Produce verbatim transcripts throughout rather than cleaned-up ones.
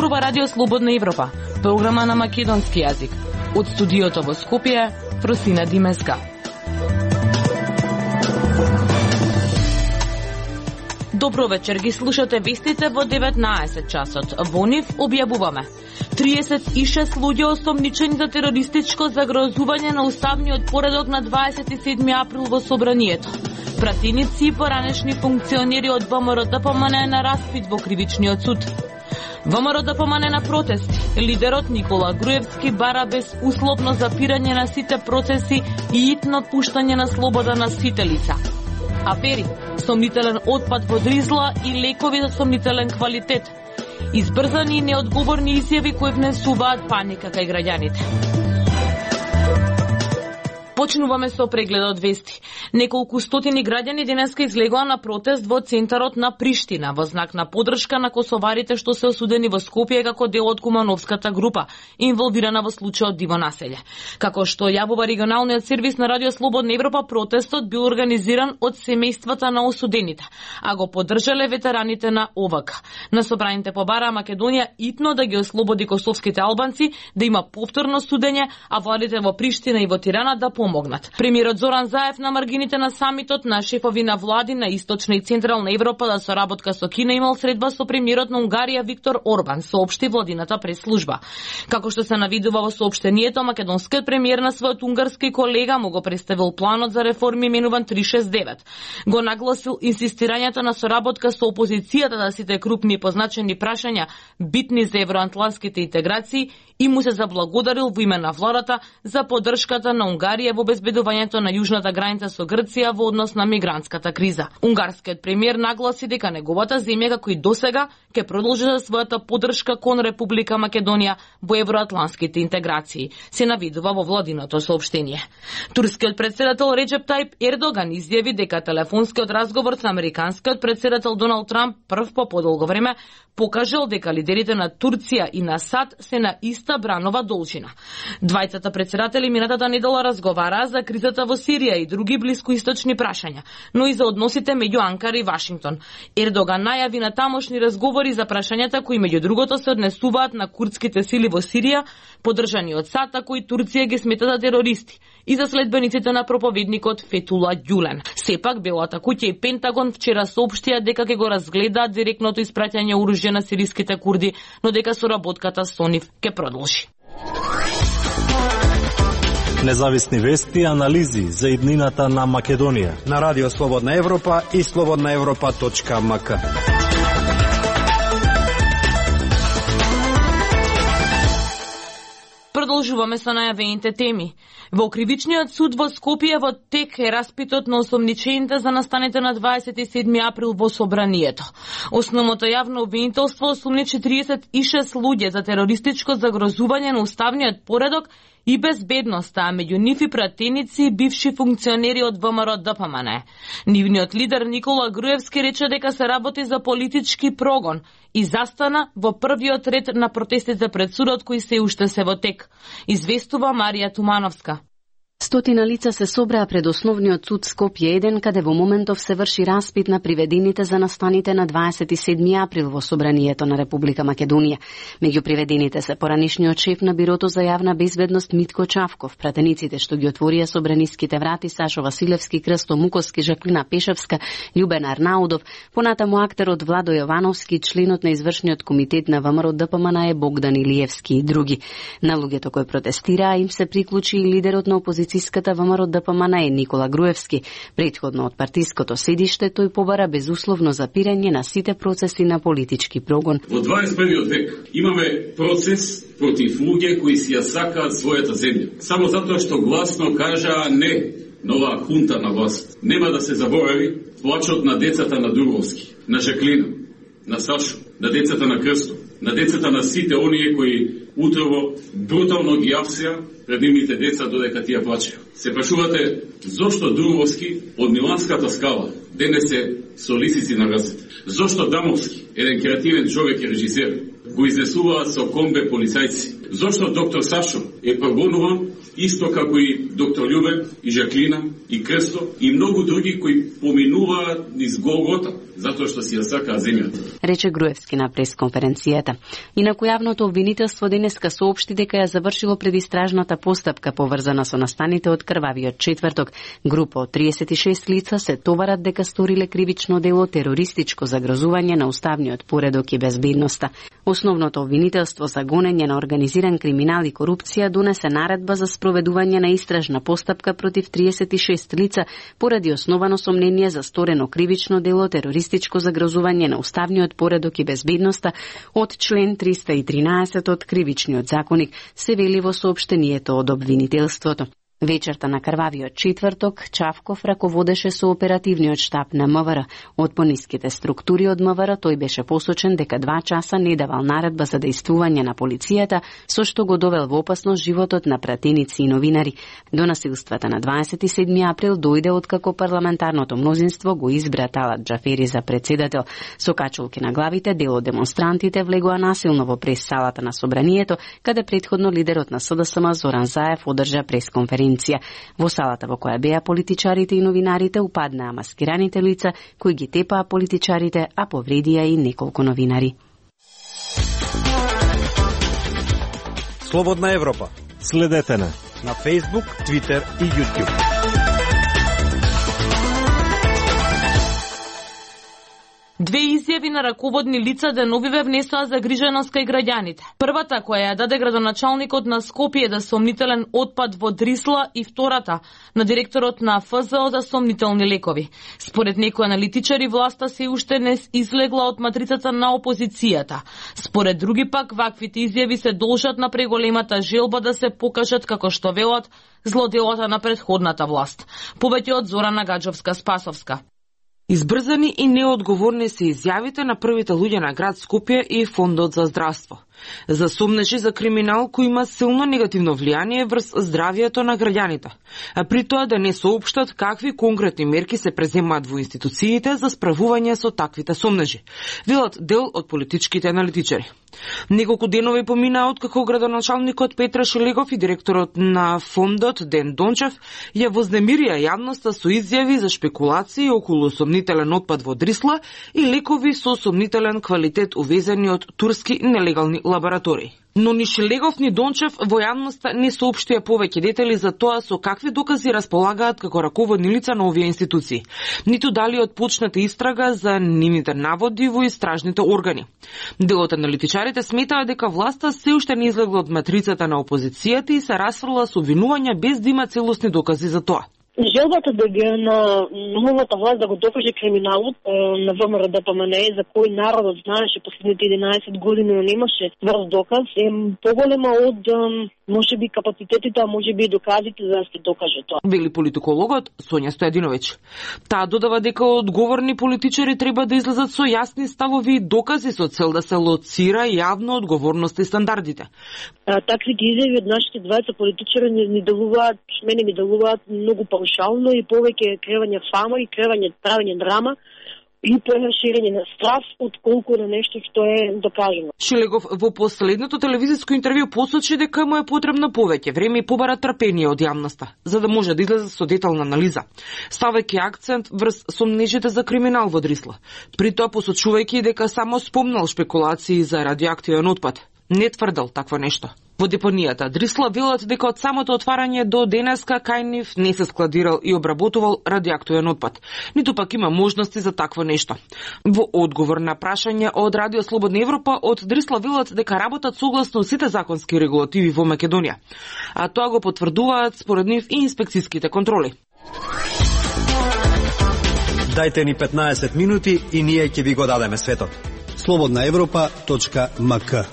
зборува Радио Слободна Европа, програма на македонски јазик. Од студиото во Скопје, Фросина Димеска. Добро вечер, ги слушате вестите во деветнаесет часот. Во нив објавуваме триесет и шест луѓе осомничени за терористичко загрозување на уставниот поредок на дваесет и седми април во собранието. Пратеници и поранешни функционери од ВМРО-ДПМН на распит во кривичниот суд. ВМРО-ДПМН на протести. Лидерот Никола Груевски бара безусловно запирање на сите процеси и итно пуштање на слобода на сите лица. Афери, сомнителен отпад во Дризла и лекови за сомнителен квалитет. Избрзани и неодговорни изјави кои внесуваат паника кај граѓаните. Почнуваме со прегледот вести. Неколку стотини граѓани денеска излегоа на протест во центарот на Приштина во знак на поддршка на косоварите што се осудени во Скопје како дел од Кумановската група, инволвирана во случајот Диво населје. Како што јавува регионалниот сервис на Радио Слободна Европа, протестот бил организиран од семејствата на осудените, а го поддржале ветераните на О В К. На собраните побараа Македонија итно да ги ослободи косовските албанци, да има повторно судење, а владите во Приштина и во Тирана да помогнат. Премиерот Зоран Заев на маргините на самитот на шефови на влади на Источна и Централна Европа за соработка со Кина имал средба со премиерот на Унгарија Виктор Орбан, соопшти владината пресслужба. Како што се навидува во соопштението, македонскиот премиер на својот унгарски колега му го представил планот за реформи именуван триста шест девет. Го нагласил инсистирањето на соработка со опозицијата за сите крупни и позначени прашања битни за евроатлантските интеграции и му се заблагодарил во име на владата за поддршката на Унгарија во обезбедувањето на јужната граница со Грција во однос на мигрантската криза. Унгарскиот премиер нагласи дека неговата земја како и досега ќе продолжи за својата поддршка кон Република Македонија во евроатлантските интеграции, се навидува во владиното соопштение. Турскиот претседател Реджеп Тајип Ердоган изјави дека телефонскиот разговор со американскиот претседател Доналд Трамп прв по подолго време покажал дека лидерите на Турција и на САД се на иста бранова должина. Двајцата претседатели минатата недела разговараа за кризата во Сирија и други блискоисточни прашања, но и за односите меѓу Анкара и Вашингтон. Ердоган најави на тамошни разговори за прашањата кои меѓу другото се однесуваат на курдските сили во Сирија, поддржани од САД, кои Турција ги смета за терористи, и за следбениците на проповедникот Фетула Ѓулен. Сепак белата куќа и Пентагон вчера соопштија дека ќе го разгледаат директното испраќање оружје на сириските курди, но дека соработката со нив ќе продолжи. Независни вести и анализи за иднината на Македонија на Радио Слободна Европа и слободна европа точка ем ка. Продолжуваме со најавените теми. Во кривичниот суд во Скопје во тек е распитот на осомничените за настаните на дваесет и седми април во собранието. Основното јавно обвинителство осомничи триесет и шест луѓе за терористичко загрозување на уставниот поредок и безбедноста, а меѓу нив и пратеници и бивши функционери од ВМРО-ДПМН. Нивниот лидер Никола Груевски рече дека се работи за политички прогон и застана во првиот ред на протестите пред судот кои се уште се во тек. Известува Марија Тумановска. Стотина лица се собраа пред Основниот суд Скопје еден, каде во моментов се врши распит на приведените за настаните на дваесет и седми април во собранието на Република Македонија. Меѓу приведените се поранишниот шеф на Бирото за јавна безбедност Митко Чавков, пратениците што ги отворија собраниските врати Сашо Василевски, Крсто Муковски, Жаклина Пешевска, Љубен Арнаудов, понатаму актерот Владо Јовановски, членот на извршниот комитет на ВМРО-ДПМН е Богдан Илиевски и други. На луѓето кои протестираа им се приклучи и лидерот на опозицијата ВМРО-ДПМН е Никола Груевски. Претходно од партиското седиште тој побара безусловно запирање на сите процеси на политички прогон. Во дваесет и првиот век имаме процес против луѓе кои си ја сакаат својата земја. Само затоа што гласно кажаа не на оваа хунта на власт. Нема да се заборави плачот на децата на Дуровски, на Жаклина, на Сашо, на децата на Крсто, на децата на сите оние кои утрово брутално ги апсеа пред нивните деца додека тие плачеа. Се прашувате зошто Дуровски од Миланската скала денес е со лисици на рацете? Зошто Дамовски, еден креативен човек и режисер, го изнесуваат со комбе полицајци? Зошто доктор Сашо е прогонуван исто како и доктор Љубен и Жаклина и Крсто и многу други кои поминуваат низ Голгота? затоа што си ја сакаа земјата. Рече Груевски на пресконференцијата. Инаку јавното обвинителство денеска соопшти дека ја завршило предистражната постапка поврзана со настаните од крвавиот четврток. Група од триесет и шест лица се товарат дека сториле кривично дело терористичко загрозување на уставниот поредок и безбедноста. Основното обвинителство за гонење на организиран криминал и корупција донесе наредба за спроведување на истражна постапка против триесет и шест лица поради основано сомнение за сторено кривично дело терористичко загрозување на уставниот поредок и безбедноста од член триста и тринаесет од Кривичниот законник, се вели во соопштението од обвинителството. Вечерта на крвавиот четврток, Чавков раководеше со оперативниот штаб на МВР. Од пониските структури од МВР тој беше посочен дека два часа не давал наредба за дејствување на полицијата, со што го довел во опасност животот на пратеници и новинари. До насилствата на дваесет и седми април дојде откако парламентарното мнозинство го избра Талат Џафери за председател. Со качулки на главите, дел од демонстрантите влегоа насилно во прес-салата на собранието, каде претходно лидерот на СДСМ Зоран Заев одржа пресконференција. Во салата во која беа политичарите и новинарите упаднаа маскираните лица кои ги тепаа политичарите, а повредија и неколку новинари. Слободна Европа. Следете на на Facebook, Twitter и YouTube. Две изјави на раководни лица деновиве внесоа загриженост кај граѓаните. Првата, која ја даде градоначалникот на Скопје за сомнителен отпад во Дрисла, и втората на директорот на Ф З О за сомнителни лекови. Според некои аналитичари, власта се уште не излегла од матрицата на опозицијата. Според други пак, ваквите изјави се должат на преголемата желба да се покажат, како што велат, злоделата на претходната власт. Повеќе од Зорана Гаджовска-Спасовска. Избрзани и неодговорни се изјавите на првите луѓе на град Скопје и Фондот за здравство. За сомнежи за криминал кој има силно негативно влијание врз здравието на граѓаните, а при тоа да не соопштат какви конкретни мерки се преземаат во институциите за справување со таквите сомнежи, велат дел од политичките аналитичари. Неколку денови поминаа откако градоначалникот Петра Шелегов и директорот на фондот Ден Дончев ја вознемирија јавноста со изјави за шпекулации околу сомнителен отпад во Дрисла и лекови со сомнителен квалитет увезени од турски нелегални лаборатории. Но ни Шелегов ни Дончев во јавноста не соопштија повеќе детали за тоа со какви докази располагаат како раководни лица на овие институции, ниту дали отпочната истрага за нивните наводи во истражните органи. Делот аналитичарите сметаа дека власта се уште не излегла од матрицата на опозицијата и се расфрла со обвинувања без да има целосни докази за тоа. Желбата да ги на новата власт да го докаже криминалот на В М Р Д П М Н Е, за кој народот знаеше последните единаесет години, но немаше тврд доказ, е поголема од можеби капацитетите, а можеби и доказите за да се докаже тоа. Вели политикологот Сонја Стојадиновиќ. Таа додава дека одговорни политичари треба да излезат со јасни ставови и докази со цел да се лоцира јавно одговорноста и стандардите. А, таквите изјави од нашите двајца политичари ни, ни делуваат, мене ми делуваат многу паушално и повеќе кревање фама и кревање правење драма и преширење на страв отколку на нешто што е докажено. Шелегов во последното телевизиско интервју посочи дека му е потребно повеќе време и побара трпение од јавноста, за да може да излезе со детална анализа, ставајќи акцент врз сомнежите за криминал во Дрисла, при тоа посочувајќи дека само спомнал шпекулации за радиоактивен отпад. Не тврдел такво нешто. Во депонијата Дрисла велат дека од самото отварање до денеска кај нив не се складирал и обработувал радиоактивен отпад, ниту пак има можности за такво нешто. Во одговор на прашање од Радио Слободна Европа, од Дрисла велат дека работат согласно сите законски регулативи во Македонија, а тоа го потврдуваат според нив и инспекцијските контроли. Дајте ни петнаесет минути и ние ќе ви го дадеме светот. слободна европа точка м к.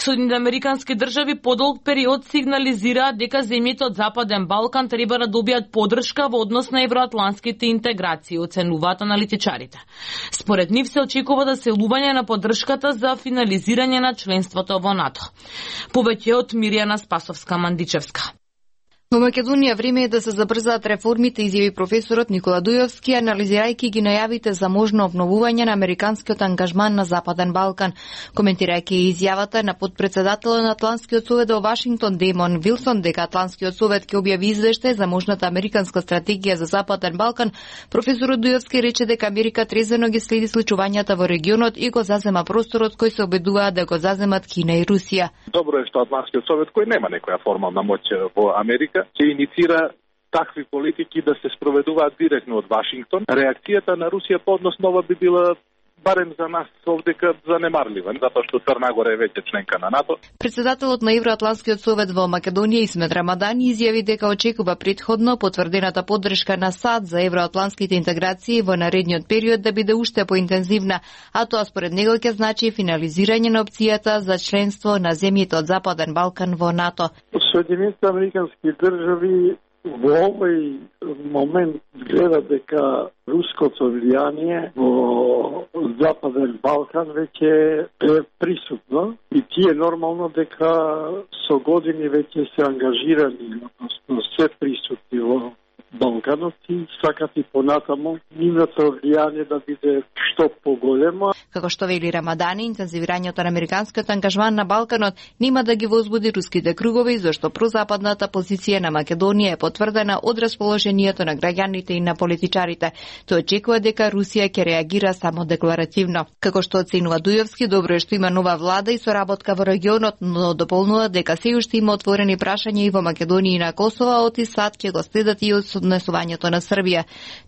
Соединените американски држави подолг период сигнализираат дека земјите од Западен Балкан треба да добијат поддршка во однос на евроатлантските интеграции, оценуваат аналитичарите. Според нив се очекува да се лување на поддршката за финализирање на членството во НАТО. Повеќе од Мирјана Спасовска-Мандичевска. Во Македонија време е да се забрзаат реформите, изјави професорот Никола Дујовски, анализирајќи ги најавите за можно обновување на американскиот ангажман на Западен Балкан. Коментирајќи изјавата на подпредседателот на Атлантскиот совет во Вашингтон Демон Вилсон дека Атлантскиот совет ќе објави извештај за можната американска стратегија за Западен Балкан, професорот Дујовски рече дека Америка трезвено ги следи случувањата во регионот и го зазема просторот кој се обидуваат да го заземат Кина и Русија. Добро е што Атлантскиот совет, кој нема некоја формална моќ во Америка, ќе иницира такви политики да се спроведуваат директно од Вашингтон. Реакцијата на Русија по однос на ова би била барем за нас овдека занемарлива, затоа што Црна Гора е веќе членка на НАТО. Председателот на Евроатлантскиот совет во Македонија Исмет Рамадани изјави дека очекува претходно потврдената поддршка на САД за евроатлантските интеграции во наредниот период да биде уште поинтензивна, а тоа според него ќе значи финализирање на опцијата за членство на земјите од Западен Балкан во НАТО. Соединетите американски држави во овој момент гледа дека руското влијание во Западен Балкан веќе е присутно и тие нормално дека со години веќе се ангажирани, односно се присутни во Балканот и сакат и понатаму нивното влијание да биде што поголемо. Како што вели Рамадани, интензивирањето на американскиот ангажман на Балканот нема да ги возбуди руските кругови, зашто прозападната позиција на Македонија е потврдена од расположението на граѓаните и на политичарите. Тој очекува дека Русија ќе реагира само декларативно. Како што оценува Дујовски, добро е што има нова влада и соработка во регионот, но дополнува дека се уште има отворени прашања и во Македонија и на Косово, од и САД ќе го следат и од однесувањето на Србија.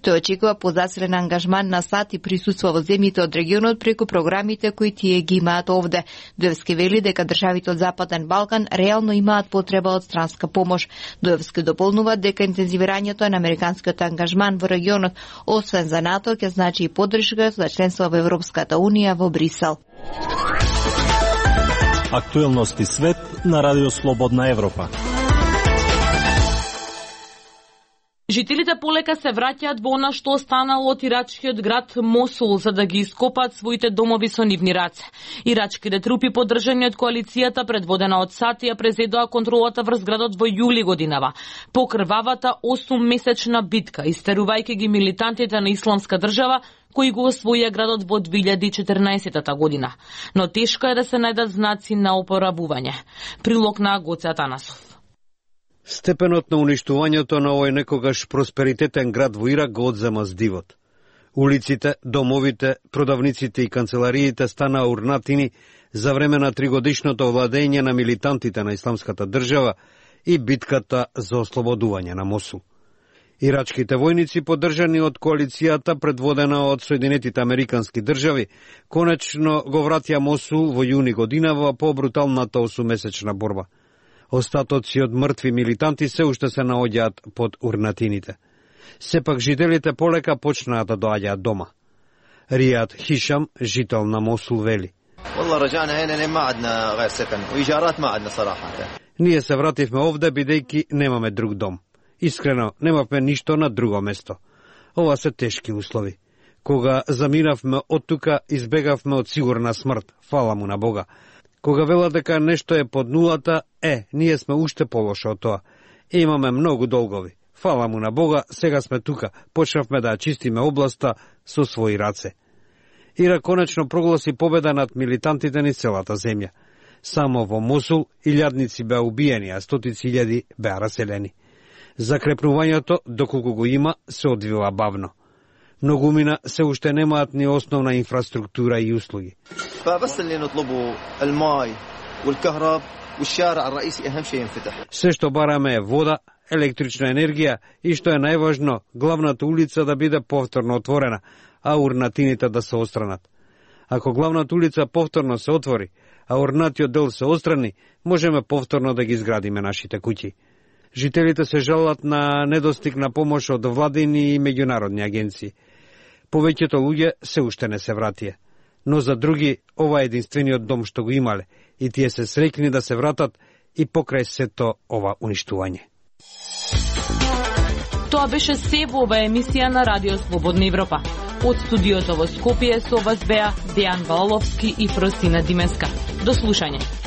Тој очекува позасилен ангажман на САД и присуство во земјите од регионот преку програмите кои тие ги имаат овде. Дујовски вели дека државите од Западен Балкан реално имаат потреба од странска помош. Дујовски дополнува дека интензивирањето на американскиот ангажман во регионот, освен за НАТО, ќе значи и поддршка за членство во Европската Унија во Брисел. Актуелности свет на Радио Слободна Европа. Жителите полека се враќаат во она што останало од ирачкиот град Мосул за да ги ископаат своите домови со нивни раце. Ирачките трупи поддржани од коалицијата предводена од САД ја презедоа контролата врз градот во јули годинава. По крвавата осуммесечна битка, истерувајќи ги милитантите на Исламска држава кои го освоија градот во две илјади и четрнаесетта година. Но тешко е да се најдат знаци на опоравување. Прилог на Гоце Атанасов. Степенот на уништувањето на овој некогаш просперитетен град во Ирак го одзема здивот. Улиците, домовите, продавниците и канцелариите станаа урнатини за време на тригодишното владење на милитантите на Исламската држава и битката за ослободување на Мосул. Ирачките војници, поддржани од коалицијата предводена од Соединетите американски држави, конечно го вратија Мосул во јуни годинава по бруталната осуммесечна борба. Остатоци од мртви милитанти се уште се наоѓаат под урнатините. Сепак жителите полека почнаа да доаѓаат дома. Ријад Хишам, жител на Мосул, вели: Ние се вративме овде бидејќи немаме друг дом. Искрено, немавме ништо на друго место. Ова се тешки услови. Кога заминавме од тука, избегавме од сигурна смрт, фала му на Бога. Кога велат дека нешто е под нулата, е, ние сме уште полошо од тоа. И имаме многу долгови. Фала му на Бога, сега сме тука, почнавме да чистиме областа со своји раце. Ирак конечно прогласи победа над милитантите низ целата земја. Само во Мосул илјадници беа убиени, а стотици илјади беа раселени. Закрепнувањето, доколку го има, се одвива бавно. Многумина се уште немаат ни основна инфраструктура и услуги. Се што бараме е вода, електрична енергија и што е најважно, главната улица да биде повторно отворена, а урнатините да се отстранат. Ако главната улица повторно се отвори, а урнатиот дел се отстрани, можеме повторно да ги изградиме нашите куќи. Жителите се жалат на недостиг на помош од владини и меѓународни агенции. Повеќето луѓе се уште не се вратија. Но за други, ова е единствениот дом што го имале и тие се среќни да се вратат и покрај сето ова уништување. Тоа беше се во ова емисија на Радио Слободна Европа. Од студиото во Скопје со вас беа Дејан Валовски и Фросина Димеска. До слушање.